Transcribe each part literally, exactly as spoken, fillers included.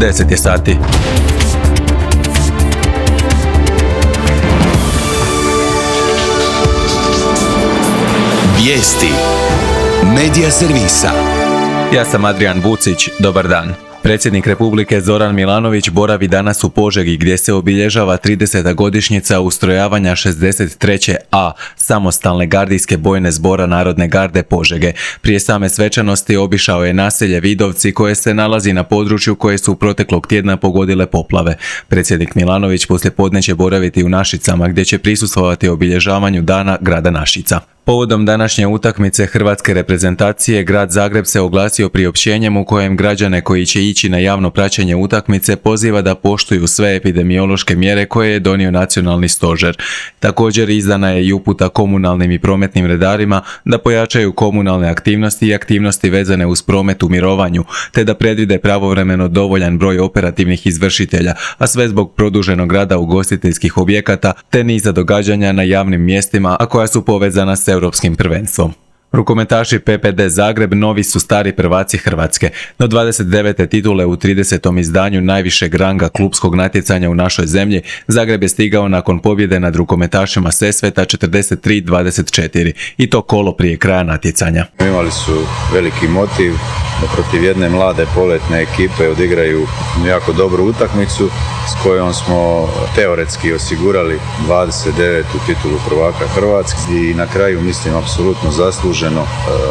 deset je sati. Vijesti Medija servisa. Ja sam Adrian Vucić, dobar dan. Predsjednik Republike Zoran Milanović boravi danas u Požegi gdje se obilježava trideseta godišnjica ustrojavanja šezdeset treće A samostalne gardijske bojne zbora Narodne garde Požege. Prije same svečanosti obišao je naselje Vidovci koje se nalazi na području koje su proteklog tjedna pogodile poplave. Predsjednik Milanović poslijepodne će boraviti u Našicama gdje će prisustvovati obilježavanju dana grada Našica. Povodom današnje utakmice hrvatske reprezentacije, grad Zagreb se oglasio priopćenjem u kojem građane koji će ići na javno praćenje utakmice poziva da poštuju sve epidemiološke mjere koje je donio nacionalni stožer. Također izdana je i uputa komunalnim i prometnim redarima da pojačaju komunalne aktivnosti i aktivnosti vezane uz promet u mirovanju, te da predvide pravovremeno dovoljan broj operativnih izvršitelja, a sve zbog produženog rada ugostiteljskih objekata te niza događanja na javnim mjestima, a koja su povezana s europskim prvenstvom. Rukometaši P P D Zagreb novi su stari prvaci Hrvatske, no dvadeset devete titule u tridesetom izdanju najvišeg ranga klupskog natjecanja u našoj zemlji, Zagreb je stigao nakon pobjede nad rukometašima Sesveta četrdeset tri dvadeset četiri i to kolo prije kraja natjecanja. Imali su veliki motiv da protiv jedne mlade poletne ekipe odigraju jako dobru utakmicu s kojom smo teoretski osigurali dvadeset devetu titulu prvaka Hrvatske i na kraju mislim apsolutno zasluženo,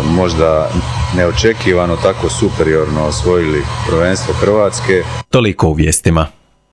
možda neočekivano tako superiorno osvojili prvenstvo Hrvatske. Toliko u vijestima.